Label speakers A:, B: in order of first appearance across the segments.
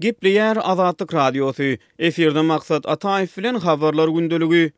A: Gepleýär Azatlyk Radiosy, Efirde Maksat Ataýew bilen Habarlar gündeligi.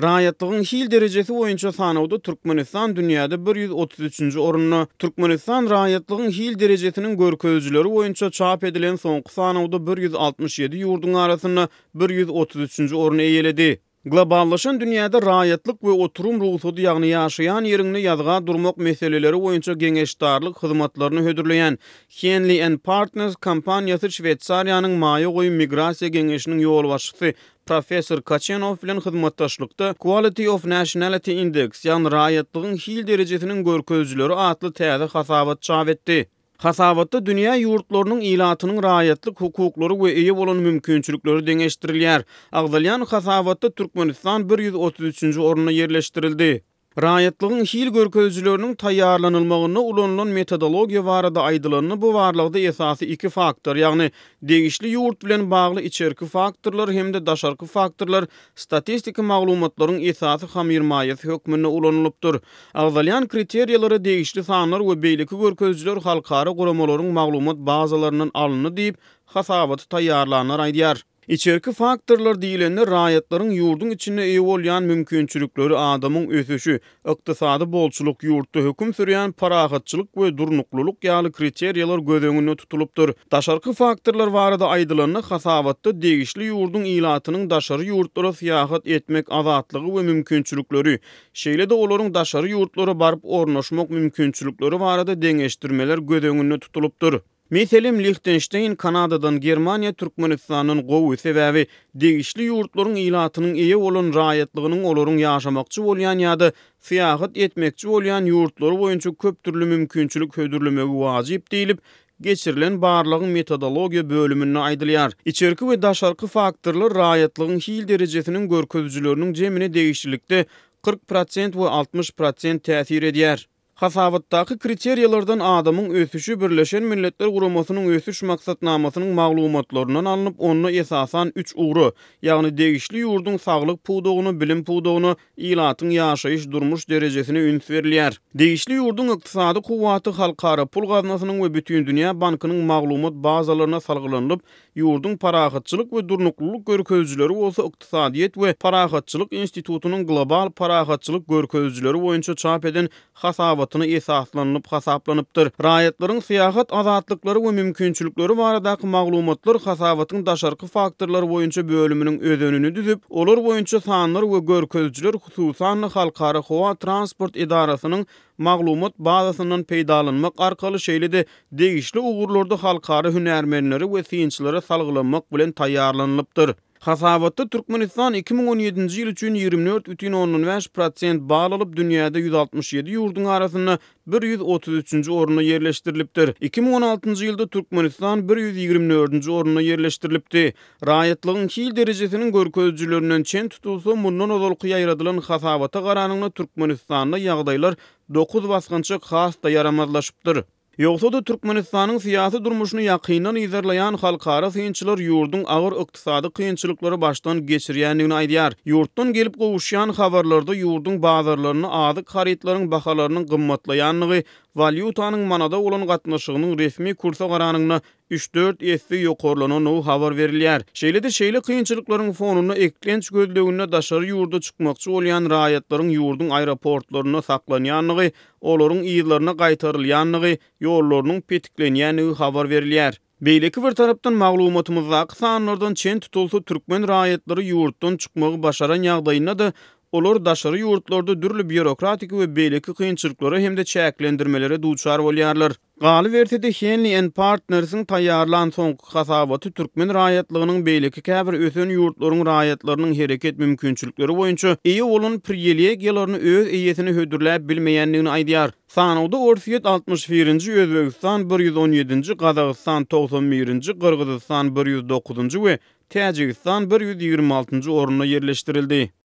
A: Raýatlygyň hil derejesi boýunça sanawda Türkmenistan dünýäde 133-nji orunda. Türkmenistan raýatlygyň hil derejesiniň görkezijileri boýunça çap edilen soňky sanawda 167 ýurduň arasynda 133-nji orny eýeledi. Globallaşan dünýäde raýatlyk we oturum rugsady ýagny ýaşaýan ýeriňde ýazga durmak meseleleri boýunça geňeşdarlyk hyzmatlaryny hödürleýän Henley and Partners kompaniýasy Şweýsariýanyň Maýa goýum migrasiýa geňeşiniň ýolbaşçysy professor Kaçenow bilen hyzmatdaşlykda Quality of Nationality Index ýagny raýatlygyň hil derejesiniň görkezijileri atly täze hasabat çap etdi. Hasabatda dünýä ýurtlarynyň ilatynyň raýatlyk hukuklary we eýe bolan mümkinçilikleri deňeşdirilýär. Agzalýan hasabatda Türkmenistan 133-nji orunda ýerleşdirildi. Raýatlygyň hil görkezijileriniň taýýarlanylmagynda ulanylan metodologiýa barada aýdylanda, bu barlagda esasy iki faktor, ýagny degişli ýurt bilen bagly içerki faktorlar hem-de daşarky faktorlar statistiki maglumatlaryň esasy hamyrmaýasy hökmünde ulanylypdyr. Agzalýan kriteriýalara degişli sanlar we beýleki görkezijiler halkara guramalaryň maglumat bazalaryndan alyndy diýip, hasabaty taýýarlanlar aýdýar. Içerki faktorlar diýlende raýatlaryň ýurduň içinde eýe bolýan mümkinçilikleri, adamyň ösüşi, ykdysady bolçulyk, ýurtda höküm sürýän parahatçylyk we durnuklylyk ýaly kriteriýalar göz öňünde tutulypdyr. Daşarky faktorlar barada aýdylanda, hasabatda degişli ýurduň ilatynyň daşary ýurtlara syýahat etmek azatlygy we mümkinçilikleri, şeýle-de olaryň daşary ýurtlara baryp ornaşmak mümkinçilikleri barada deňeşdirmeler göz öňünde tutulypdyr. Meselem, Lihtenşteýn Kanadadan, Germaniýa Türkmenistandan gowy, sebäbi degişli ýurtlaryň ilatynyň eýe bolan raýatlygynyň olaryň ýaşamakçy bolýan ýa-da syýahat etmekçi bolýan ýurtlary boýunça köp dürli mümkinçilik hödürlemegi wajyp diýlip, geçirilen barlagyň metodologiýa bölüminde aýdylýar. Içerki we daşarky faktorlar raýatlygyň hil derejesiniň görkezijileriniň jemine degişlilikde 40 prosent we 60 prosent täsir edýär. Hasabatdaky kriteriýalardan adamyň ösüşi Birleşen Milletler Guramasynyň Ösüş Maksatnamasynyň maglumatlaryndan alnyp, onda esasan üç ugra, ýagny degişli ýurduň saglyk pudagyna, bilim pudagyna, ilatyň ýaşaýyş-durmuş derejesine üns berilýär. Degişli ýurduň ykdysady kuwwaty Halkara pul gaznasynyň we Bütindünýä bankynyň maglumat bazalaryna salgylanylyp, Ýurduň parahatçylyk we durnuklylyk görkezijileri bolsa Ykdysadyýet we parahatçylyk institutynyň global parahatçylyk görkezijileri boýunça çap eden hasabatyna esaslanylyp hasaplanypdyr. Raýatlaryň syýahat azatlyklary we mümkinçilikleri baradaky maglumatlar hasabatyň daşarky faktorlar boýunça bölüminiň özenini düzüp, olar boýunça sanlar we görkezijiler hususan-da Halkara howa transport edarasynyň maglumat bazasyndan peýdalanmak arkaly, şeýle-de degişli ugurlarda halkara hünärmenlere we synçylara salgylanmak bilen taýýarlanylypdyr. Hasabatda Türkmenistan 2017-nji ýyl üçin 24,5 prosent bal alyp, dünýäde 167 ýurduň arasynda 133-nji orunda ýerleşdirilipdir. 2016-njy ýylda Türkmenistan 124-nji orunda ýerleşdirilipdi. Raýatlygyň hil derejesiniň görkezijilerinden çen tutulsa, mundan ozalky ýaýradylan hasabata garanyňda Türkmenistanda ýagdaýlar dokuz basgançak has-da ýaramazlaşypdyr. Ýogsa-da, Türkmenistanyň syýasy durmuşyny ýakyndan yzarlaýan halkara synçylar ýurduň agyr ykdysady kynçylyklary başdan geçirýändigini aýdýar. Ýurtdan gelip gowuşýan habarlarda ýurduň bazarlarynda azyk harytlaryň bahalarynyň gymmatlaýandygy, walýutanyň manada bolan gatnaşygynyň resmi kursa garanyňda üç-dört esse ýokarlanandygy habar berilýär. Şeýle-de şeýle kynçylyklaryň fonunda eklenç gözleginde daşary ýurda çykmakçy bolýan raýatlaryň ýurduň aeroportlarynda saklanýandygy, olaryň yzlaryna gaýtarylýandygy, ýollarynyň petiklenýändigi habar berilýär. Beýleki bir tarapdan maglumatymyzdaky sanlardan çen tutulsa, türkmen raýatlary ýurtdan çykmagy başaran ýagdaýynda-da, olar daşary ýurtlarda dürli býurokratiki we beýleki kynçylyklara hem-de çäklendirmelere duçar bolýarlar. Galyberse-de, Henley and Partners-iň taýýarlan soňky hasabaty türkmen raýatlygynyň beýleki käbir ösen ýurtlaryň raýatlarynyň hereket mümkinçilikleri boýunça eýe bolan priwilegiýalaryny öz eýesine hödürläp bilmeýändigini aýdýar. Sanawda Orsýet 61-nji, Özbegistan 117-nji, Gazagystan 91-nji, Gyrgyzystan 109-njy we Täjigistan 126-njy orunda ýerleşdirildi.